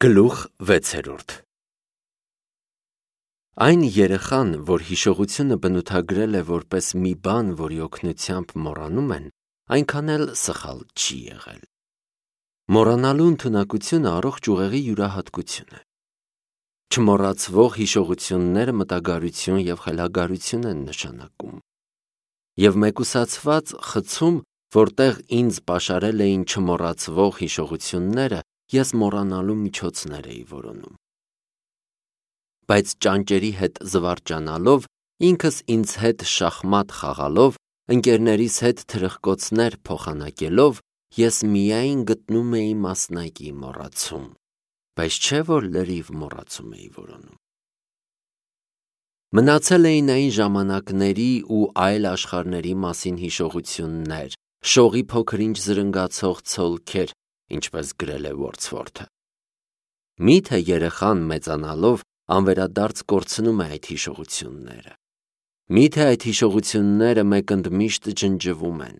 Գլուխ 6 Այն երեխան, որ հիշողությունը բնութագրել է որպես մի բան, որի օգնությամբ մոռանում են, այնքան էլ սխալ չի եղել։ Մոռանալու ընդունակությունը առողջ ուղեղի յուրահատկություն է։ Չմոռացվող հիշողությունները մտագարություն և խելագարություն են նշանակում։ Եվ մեկուսացված խցում, որտեղ ինձ պաշարել էին չմոռացվող հիշողությունները, ես մոռանալու միջոցներ էի որոնում։ Բայց ճանճերի հետ զվարճանալով, ինքս ինձ հետ շախմատ խաղալով, ընկերներիս հետ թրխկոցներ փոխանակելով, ես միայն գտնում էի մասնակի մոռացում, բայց չէ որ լրիվ մոռացում էի որոնում։ Մնացել էին այն ժամանակների ու այլ աշխարհների մասին հիշողություններ, շողի փոքր-ինչ զրնգացող ցոլքեր, ինչպես գրել է Wordsworth-ը։ Միթե երեխան մեծանալով անվերադարձ կորցնում է այդ հիշողությունները։ Միթե այդ հիշողությունները մեկընդմիշտ ջնջվում են։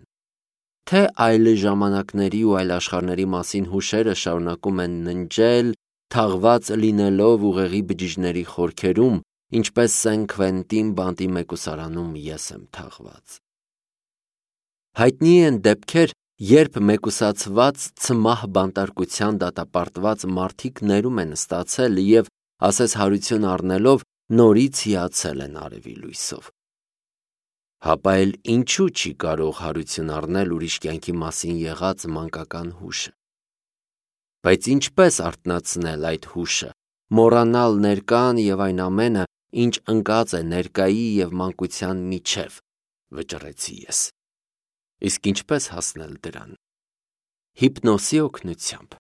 Թե այլ ժամանակների ու այլ աշխարհների մասին հուշերը շարունակում են ննջել, թաղված լինելով ուղեղի բջիջների խորքերում, ինչպես Սեն Քվենտին բանտի մեկուսարանում ես եմ թաղված։ Հայտնի են դեպքեր, երբ մեկուսացված ցմահ բանտարկության դատապարտված մարդիկ ներում են ստացել և, ասես հարություն առնելով, նորից հիացել են արևի լույսով։ Հապա էլ ինչու չի կարող հարություն առնել ուրիշ կյանքի մասին եղած մանկական հուշը։ Բայց ինչպես արթնացնել այդ հուշը, մոռանալ ներկան և այն ամենը, ինչ ընկած է ներկայի և մանկության միջև, վճռեցի ես։ Իսկ ինչպես հասնել դրան։ Հիպնոսի օգնությամբ։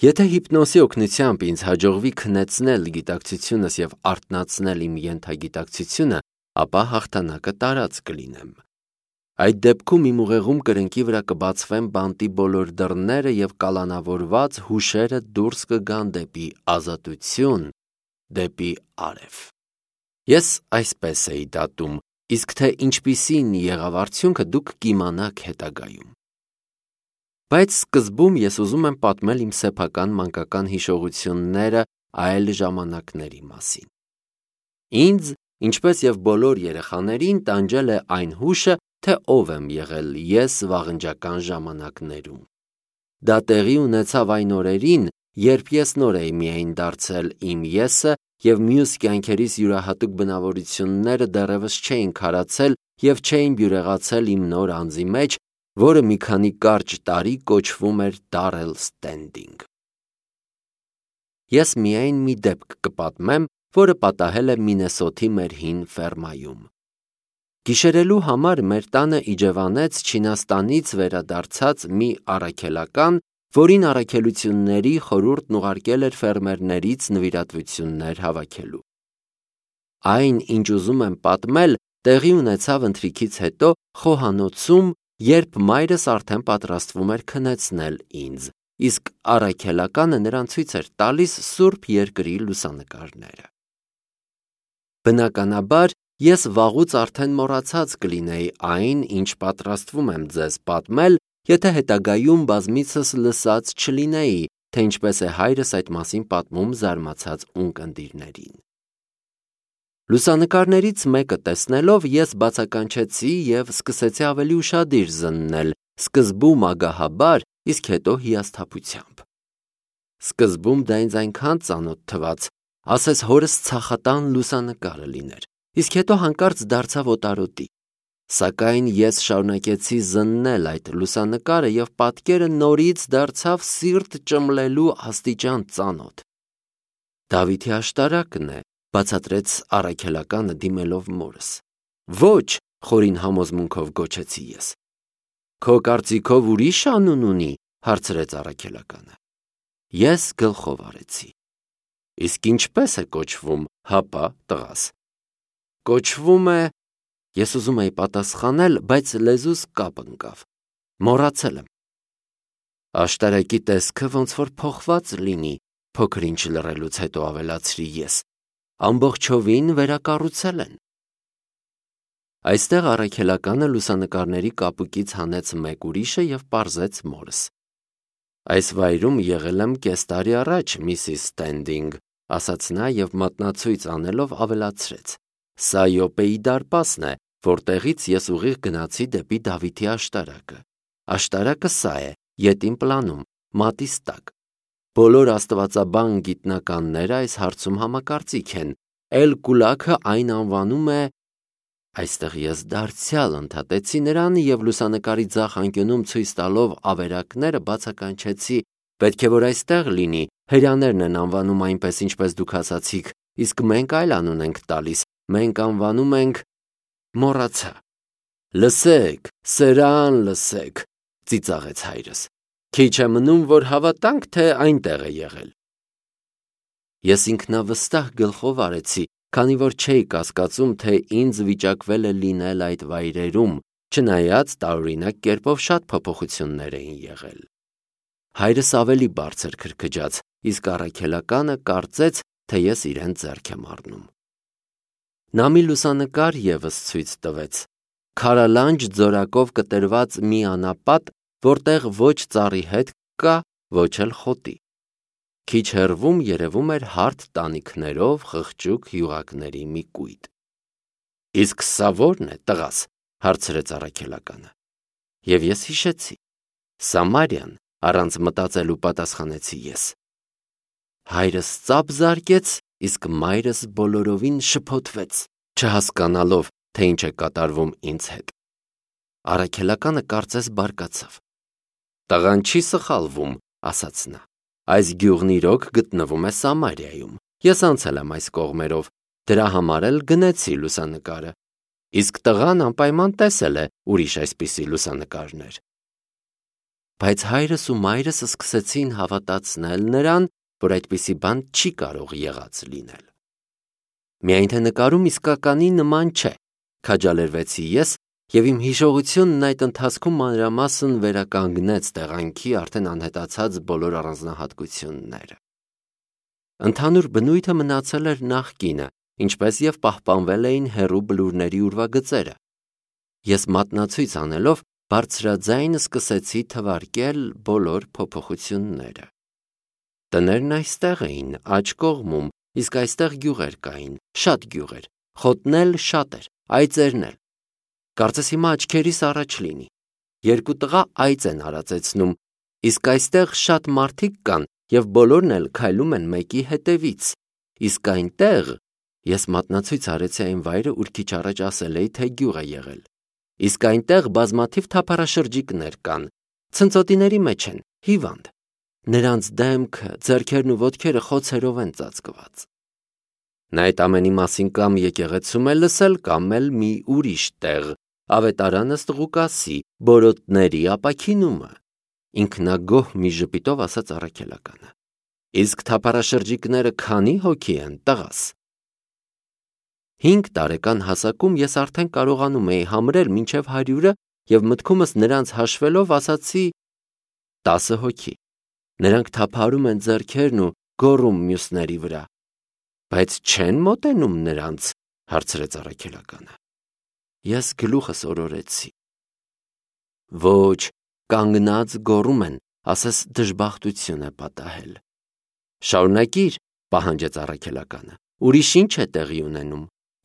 Եթե հիպնոսի օգնությամբ ինձ հաջողվի քնեցնել գիտակցությունս և արթնացնել իմ ենթագիտակցությունը, ապա հաղթանակը տարած կլինեմ։ Այդ դեպքում իմ ուղեղում կրնկի վրա կբացվեն բանտի բոլոր դռները և կալանավորված հուշերը դուրս կգան դեպի ազատություն, դեպի արև։ Ես այսպես էի դատում, իսկ թե ինչպիսին եղավ արդյունքը դուք կիմանաք հետագայում։ Բայց սկզբում ես ուզում եմ պատմել իմ սեփական մանկական հիշողությունները այլ ժամանակների մասին։ Ինձ, ինչպես և բոլոր երեխաներին, տանջել է այն հուշը, թե ով եմ եղել ես վաղնջական ժամանակներում։ Դա տեղի ունեցավ այն օրերին, երբ ես նոր էի միայն դարձել իմ եսը և մյուս կյանքերիս յուրահատուկ բնավորությունները դեռևս չէին քարացել և չէին բյուրեղացել իմ նոր անձի մեջ, որը մի քանի կարճ տարի կոչվում էր Darrell Standing։ Ես միայն մի դեպք կպատմեմ, որը պատահել է Մինեսոթի մեր հին ֆերմայում։ Գիշերելու համար մեր տանը իջևանեց Չինաստանից վերադարձած մի առաքելական, որին առաքելությունների խորհուրդն ուղարկել էր ֆերմերներից նվիրատվություններ հավաքելու։ Այն, ինչ ուզում եմ պատմել, տեղի ունեցավ ընթրիքից հետո խոհանոցում, երբ մայրս արդեն պատրաստվում էր քնեցնել ինձ, իսկ առաքելականը նրան ցույց էր տալիս Սուրբ Երկրի լուսանկարները։ Բնականաբար, ես վաղուց արդեն մոռացած կլինեի այն, ինչ պատրաստվում եմ ձեզ պատմել, եթե հետագայում բազմիցս լսած չլինեի, թե ինչպես է հայրս այդ մասին պատմում զարմացած ունկնդիրներին։ Լուսանկարներից մեկը տեսնելով ես բացականչեցի և սկսեցի ավելի ուշադիր զննել, սկզբում ագահաբար, իսկ հետո հիասթափությամբ։ Սկզբում դա ինձ այնքան ծանոթ թվաց, ասես հորս ցախատան լուսանկարը լիներ, իսկ հետո հանկարծ դարձավ օտարոտի։ Սակայն ես շարունակեցի զննել այդ լուսանկարը և պատկերը նորից դարձավ սիրտ ճմլելու աստիճան ծանոթ։ Դավիթի աշտարակն է, բացատրեց առաքելականը դիմելով մորս։ Ոչ, խորին համոզմունքով գոչեցի ես։ Քո կարծիքով ուրիշ անուն ունի, հարցրեց առաքելականը։ Ես գլխով արեցի։ Իսկ ինչպես է կոչվում, հապա տղաս։ Կոչվում է… Ես ուզում էի պատասխանել, բայց լեզուս կապ ընկավ։ Մոռացել եմ։ Աշտարակի տեսքը ոնց որ փոխված լինի, փոքր-ինչ լռելուց հետո ավելացրի ես։ Ամբողջովին վերակառուցել են։ Այստեղ առաքելականը լուսանկարների կապուկից հանեց մեկ ուրիշը և պարզեց մորս։ Այս վայրում եղել եմ կես տարի առաջ, Միսիս Ստենդինգ, ասաց նա և մատնացույց անելով ավելացրեց. Սա Յոպեի դարպասն է, որտեղից ես ուղիղ գնացի դեպի Դավիթի աշտարակը։ Աշտարակը սա է, ետին պլանում, մատից տակ։ Բոլոր աստվածաբան գիտնականները այս հարցում համակարծիք են։ Էլ Կուլաքը այն անվանում է… Այստեղ ես դարձյալ ընդհատեցի նրան և լուսանկարի ձախ անկյունում ցույց տալով ավերակները բացականչեցի. պետք է որ այստեղ լինի, հրեաներն են անվանում այնպես, ինչպես դուք ասացիք, իսկ մենք այլ անուն ենք տալիս, մենք անվանում ենք… Մոռացա։ Լսեք, սրան լսեք, ծիծաղեց հայրս։ Քիչ է մնում, որ հավատանք, թե այնտեղ է եղել։ Ես ինքնավստահ գլխով արեցի, քանի որ չէի կասկածում, թե ինձ վիճակվել է լինել այդ վայրերում, չնայած տարօրինակ կերպով շատ փոփոխություններ էին եղել։ Հայրս ավելի բարձր քրքջաց, իսկ առաքելականը կարծեց, թե ես իրեն ձեռք եմ առնում։ Նա մի լուսանկար ևս ցույց տվեց. քարալանջ ձորակով կտրված մի անապատ, որտեղ ոչ ծառի հետ կա, ոչ էլ խոտի։ Քիչ հեռվում երևում էր հարթ տանիքներով խղճուկ յուղակների մի կույտ։ Իսկ սա ո՞րն է, տղաս, հարցրեց առաքելականը։ Եվ ես հիշեցի. Սամարիան, առանց մտածելու պատասխանեցի ես։ Հայրս ծափ զարկեց, իսկ մայրս բոլորովին շփոթվեց, չհասկանալով, թե ինչ է կատարվում ինձ հետ։ Առաքելականը կարծես բարկացավ։ Տղան չի սխալվում, ասաց նա։ Այս գյուղն իրոք գտնվում է Սամարիայում։ Ես անցել եմ այս կողմերով, դրա համար էլ գնեցի լուսանկարը։ Իսկ տղան անպայման տեսել է ուրիշ այսպիսի լուսանկարներ։ Բայց հայրս ու մայրս սկսեցին հավատացնել նրան, որ այդպիսի բան չի կարող եղած լինել։ Միայն թե նկարում իսկականի նման չէ, քաջալերվեցի ես, և իմ հիշողությունն այդ ընթացքում մանրամասն վերականգնեց տեղանքի արդեն անհետացած բոլոր առանձնահատկությունները։ Ընդհանուր բնույթը մնացել էր նախկինը, ինչպես և պահպանվել էին հեռու բլուրների ուրվագծերը։ Ես մատնացույց անելով բարձրաձայն սկսեցի թվարկել բոլոր փոփոխությունները։ Տներն այստեղ էին, աջ կողմում, իսկ այստեղ գյուղեր կային, շատ գյուղեր, խոտն էլ շատ էր, այծերն էլ։ Կարծես հիմա աչքերիս առաջ լինի։ Երկու տղա այծ են արածեցնում, իսկ այստեղ շատ մարդիկ կան և բոլորն էլ քայլում են մեկի հետևից, իսկ այնտեղ… Ես մատնացույց արեցի այն վայրը, ուր քիչ առաջ ասել էի, թե գյուղ է եղել։ Իսկ այնտեղ բազմաթիվ թափառաշրջիկներ կան, ցնծոտիների մեջ են, հիվանդ։ Նրանց դեմքը, ձեռքերն ու ոտքերը խոցերով են ծածկված։ Նա այդ ամենի մասին կամ եկեղեցում է լսել, կամ էլ մի ուրիշ տեղ, ավետարան ըստ Ղուկասի, բորոտների ապաքինումը, ինքնագոհ մի ժպիտով ասաց առաքելականը։ Իսկ թափառաշրջիկները քանի հոգի են, տղաս։ 5 տարեկան հասակում ես արդեն կարողանում էի համրել մինչև 100-ը և մտքումս նրանց հաշվելով ասացի 10 հոգի։ Նրանք թափահարում են ձեռքերն ու գոռում մյուսների վրա։ Բայց չեն մոտենում նրանց, հարցրեց առաքելականը։ Ես գլուխս օրորեցի։ Ոչ, կանգնած գոռում են, ասես դժբախտություն է պատահել։ Շարունակիր, պահանջեց առաքելականը։ Ուրիշ ինչ է տեղի ունենում։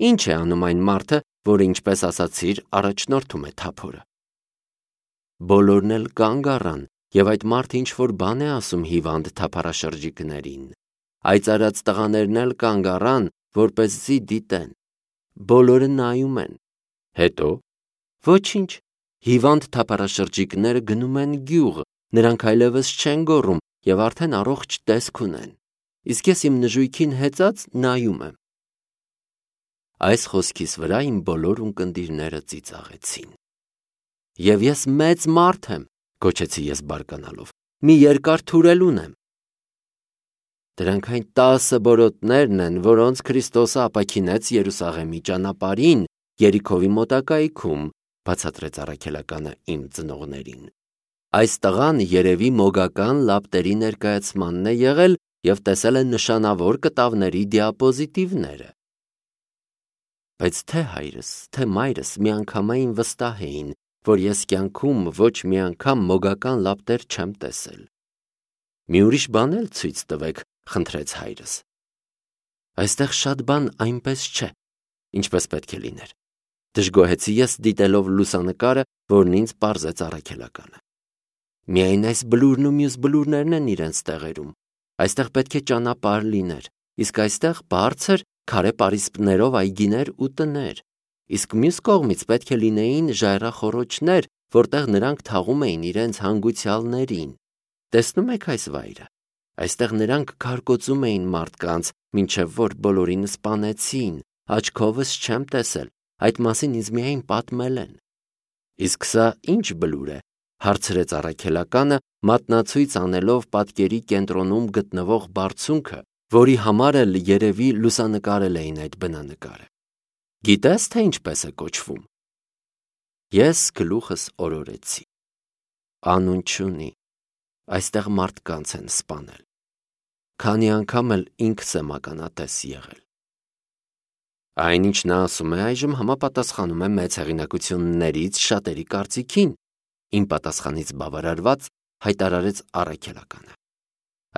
Ինչ է անում այն մարդը, որը, ինչպես ասացիր, առաջնորդում է թափորը։ Բոլորն էլ կանգ առան, և այդ մարդը ինչ-որ բան է ասում հիվանդ թափառաշրջիկներին։ Այծարած տղաներն էլ կանգ առան, որպեսզի դիտեն։ Բոլորը նայում են։ Հետո… Ոչինչ, հիվանդ թափառաշրջիկները գնում են գյուղ, նրանք այլևս չեն գոռում և արդեն առողջ տեսք ունեն։ Իսկ ես իմ նժույգին հեծած նայում եմ։ Այս խոսքիս վրա իմ բոլոր ունկնդիրները ծիծաղեցին։ Եվ ես մեծ մարդ եմ, գոչեցի ես բարկանալով, մի երկար թուրել ունեմ։ Դրանք այն 10 բորոտներն են, որոնց Քրիստոսը ապաքինեց Երուսաղեմի ճանապարհին, Երիքովի մոտակայքում, բացատրեց առաքելականը իմ ծնողներին։ Այս տղան երևի մոգական լապտերի ներկայացմանն է եղել և տեսել է նշանավոր կտավների դիապոզիտիվները։ Բայց թե հայրս, թե մայրս միանգամայն վստահ էին, որ ես կյանքում ոչ մի անգամ մոգական լապտեր չեմ տեսել։ Մի ուրիշ բան էլ ցույց տվեք, խնդրեց հայրս։ Այստեղ շատ բան այնպես չէ, ինչպես պետք է լիներ։ Դժգոհեցի ես դիտելով լուսանկարը, որն ինձ պարզեց առաքելականը։ Միայն այս բլուրն ու մյուս բլուրներն են իրենց տեղերում։ Այստեղ պետք է ճանապարհ լիներ, իսկ այստեղ բարձր քարե պարիսպներով այգիներ ու տներ, իսկ մյուս կողմից պետք է լինեին ժայռախոռոչներ, որտեղ նրանք թաղում էին իրենց հանգուցյալներին։ Տեսնում եք այս վայրը։ Այստեղ նրանք քարկոծում էին մարդկանց, մինչև որ բոլորին սպանեցին, աչքովս չեմ տեսել, այդ մասին ինձ միայն պատմել են։ Իսկ սա ինչ բլուր է, հարցրեց առաքելականը, մատնացույց անելով պատկերի կենտրոնում գտնվող բարձունքը, որի համար էլ երևի լուսանկարել էին այդ բնանկարը։ Գիտես, թե ինչպես է կոչվում։ Ես գլուխս օրորեցի։ Անուն չունի, այստեղ մարդկանց են սպանել։ Քանի անգամ էլ ինքս եմ ականատես եղել։ Այնինչ նա ասում է այժմ համապատասխանում է մեծ հեղինակություններից շատերի կարծիքին, իմ պատասխանից բավարարված հայտարարեց առաքելականը։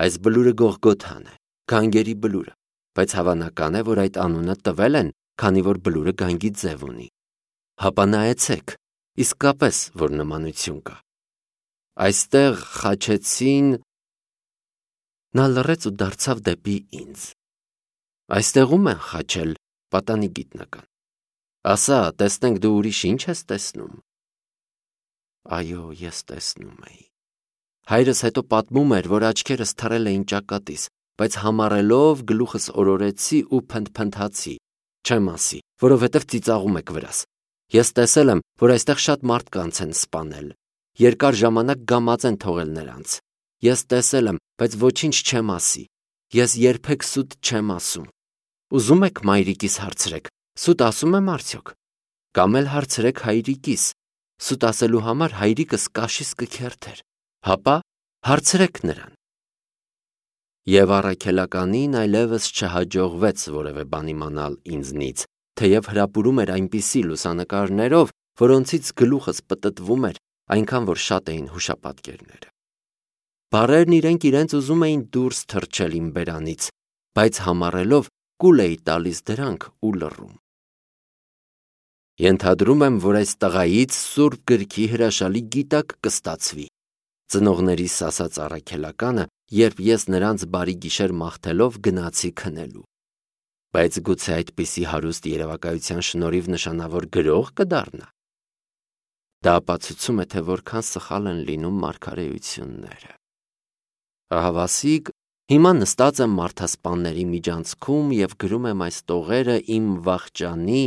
Այս բլուրը Գողգոթան է, գանգերի բլուրը, բայց հավանական է, որ այդ անունը տվել են, քանի որ բլուրը գանգի ձև ունի։ Հապա նայեցեք, իսկապես որ նմանություն կա։ Այստեղ խաչեցին։ Նա լռեց ու դարձավ դեպի ինձ։ Այստեղում են խաչել, պատանի գիտնական։ Ասա, տեսնենք դու ուրիշ ինչ ես տեսնում։ Այո, ես տեսնում էի։ Հայրս հետո պատմում էր, որ աչքերս թռել էին ճակատիս, բայց համառելով գլուխս օրորեցի ու փնթփնթացի։ Չեմ ասի, որովհետև ծիծաղում եք վրաս։ Ես տեսել եմ, որ այստեղ շատ մարդկանց են սպանել։ Երկար ժամանակ գամած են թողել նրանց։ Ես տեսել եմ, բայց ոչինչ չեմ ասի։ Ես երբեք սուտ չեմ ասում։ Ուզում եք մայրիկիս հարցրեք, սուտ ասում եմ արդյոք։ Կամ էլ հարցրեք հայրիկիս, սուտ ասելու համար հայրիկս կաշիս կքերթեր։ Հապա հարցրեք նրան։ Եվ առաքելականին այլևս չհաջողվեց որևէ բան իմանալ ինձնից, թեև հրապուրում էր այնպիսի լուսանկարներով, որոնցից գլուխս պտտվում էր, այնքան որ շատ էին հուշապատկերները։ Բառերն իրենց ուզում էին դուրս թռչել իմ բերանից, բայց համառելով կուլ էի տալիս դրանք ու լռում։ Ենթադրում եմ, որ այս տղայից Սուրբ Գրքի հրաշալի գիտակ կստացվի, ծնողներիս ասաց առաքելականը, երբ ես նրանց բարի գիշեր մաղթելով գնացի քնելու։ Բայց գուցե այդպիսի հարուստ երևակայության շնորհիվ նշանավոր գրող կդառնա։ Դա ապացուցում է, թե որքան սխալ են լինում մարգարեությունները։ Ահավասիկ, հիմա նստած եմ մարդասպանների միջանցքում և գրում եմ այս տողերը իմ վախճանի,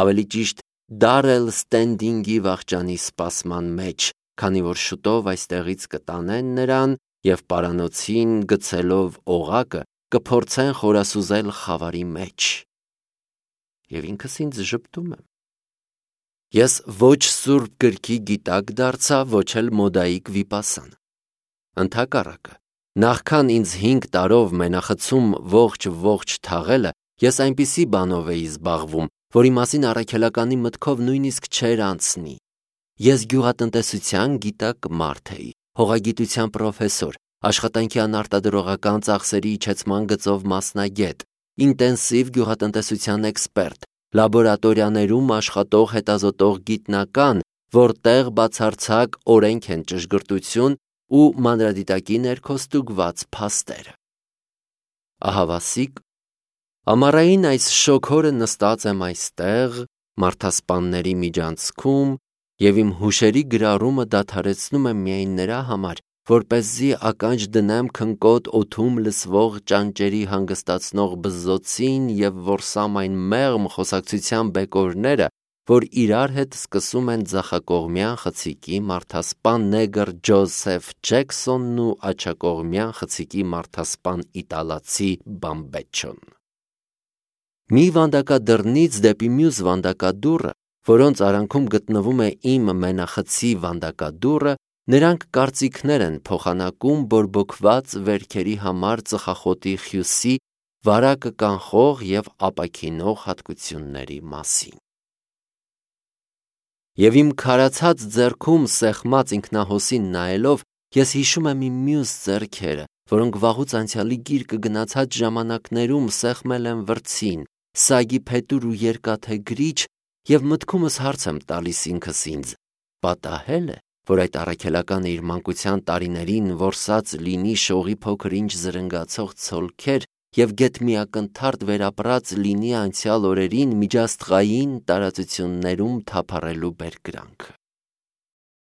ավելի ճիշտ Դարել Ստենդինգի վախճանի սպասման մեջ, քանի որ շուտով այստեղից կտանեն նրան և պարանոցին գցելով օղակը կփորձեն խորասուզել խավարի մեջ։ Եվ ինքս ինձ ժպտում եմ։ Ես ոչ Սուրբ Գրքի գիտակ դարձա, ոչ էլ մոդայիկ վիպասան։ Ընդհակառակը, նախքան ինձ 5 տարով մենախցում ողջ թաղելը, ես այնպիսի բանով էի զբաղվում, որի մասին առաքելականի մտքով նույնիսկ չէր անցնի։ Ես գյուղատնտեսության գիտակ մարդ էի, հողագիտության պրոֆեսոր, աշխատանքի անարտադրողական ծախսերի իջեցման գծով մասնագետ, ինտենսիվ գյուղատնտեսության էքսպերտ, լաբորատորիաներում աշխատող հետազոտող գիտնական, որտեղ բացարձակ օրենք են ճշգրտություն ու մանրադիտակի ներքո ստուգված փաստերը։ Ահավասիկ, ամառային այս շոգորը նստած եմ այստեղ, մարդասպանների միջանցքում և իմ հուշերի գրառումը դադարեցնում եմ միայն նրա համար, որպեսզի ականջ դնեմ քնկոտ օդում լսվող ճանճերի հանգստացնող բզզոցին և որսամ այն մեղմ խոսակցության բեկորները, որ իրար հետ սկսում են ձախակողմյան խցիկի մարդասպան նեգր Ջոզեֆ Ջեքսոնն ու աջակողմյան խցիկի մարդասպան իտալացի Բամբեչոն։ Մի վանդակադռնից դեպի մյուս վանդակադուռը, որոնց արանքում գտնվում է իմ մենախցի վանդակադուռը, նրանք կարծիքներ են փոխանակում բորբոքված վերքերի համար ծխախոտի խյուսի վարակը կանխող և ապաքինող հատկությունների մասին։ Եվ իմ քարացած ձեռքում սեղմած ինքնահոսին նայելով, ես հիշում եմ իմ մյուս ձեռքերը, որոնք վաղուց անցյալի գիրկը գնացած ժամանակներում սեղմել են վրձին, սագի փետուր ու երկաթե գրիչ, եւ մտքումս հարց եմ տալիս ինքս ինձ. պատահել է, որ այդ առաքելականը իր մանկության տարիներին որսած լինի շողի փոքր-ինչ զրնգացող ցոլքեր եւ գեթ միակնթարթ վերապրած լինի անցյալ օրերին միջաստղային տարածություններում թափառելու բերկրանքը։